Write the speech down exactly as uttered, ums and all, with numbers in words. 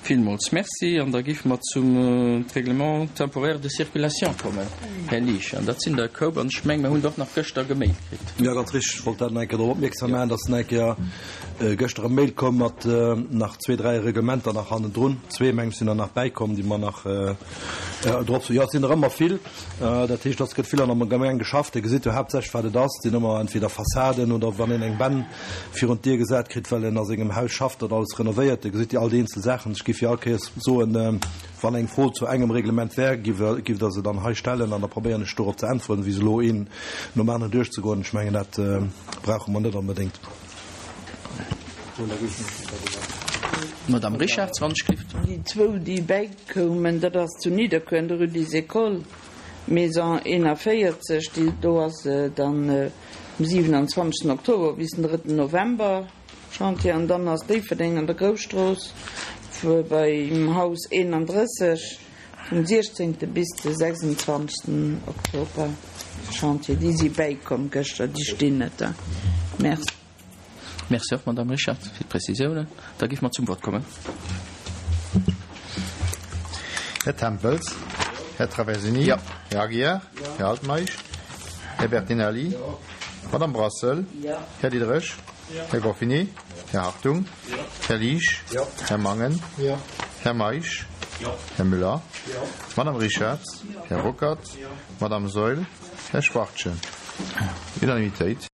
Villmools Merci. An da géife mer zum Règlement temporaire de circulation kommen, Här Liesch. An dat sinn der e Koup. An ech mengen, mer hunn der och nach gëschter gemailt kritt. Jo, ganz richteg. Ech wollt dat nach eng Kéier drop opmierksam maachen, dass nach eng Kéier gëschter e Mail koum mat nach zwee, dräi Reglementer nach hannendrun. Zwee, meng ech, sinn der nach bäikomm, déi mer nach drop sinn. Jo, et sinn der ëmmer vill. Dat heescht, dass gëtt vill an der Gemeng geschafft. Dir gesitt jo haaptsächlech, wat et ass. Et sinn ëmmer entweder Fassaden oder wann een eng Bänn virun d'Dier gesat kritt, well en a sengem Haus schafft, dat alles renovéiert. Dir gesitt jo all déi eenzel Saachen. Ech géif jo all Kéiers soen, wann eng Fro zu engem Reglement wär, giff Der se dann hei stellen an da probéieren ech dorop ze äntweren, wéi se elo een nom aneren duerchzegoen. Ech mengen, dat brauche mer net onbedéngt. Madame Richarz, wann ech gelift. Déi zwou, déi bäikoumen, dat ass zu Nidderkuer an der Rue des Écoles, Maison eenavéierzeg, déi do ass dann vum siewenundzwanzegsten Oktober bis den drëtten November Chantier. An dann ass Déifferdeng an der Grousstrooss beim Haus eenandrësseg vum siechzéngte bis de sechsundzwanzegsten Oktober Chantier. Déi si bäikomm gëschter, déi stinn net da. Merci. Merci och, Madame Richard, fir d'Prezisiounen. Da géife mer zum Vott kommen. Här Tempels, Här Traversini, Jo. Här Aguiar, Här Altmeisch, Här Bertinelli, Madame Brassel, Här Diderich, Här Goffinet, Här Hartung, Här Liesch, Här Mangen, Här Meisch, Här Müller, Madame Richarz, Här Ruckert, Madame Saeul, Här Schwachtgen. Unanimitéit.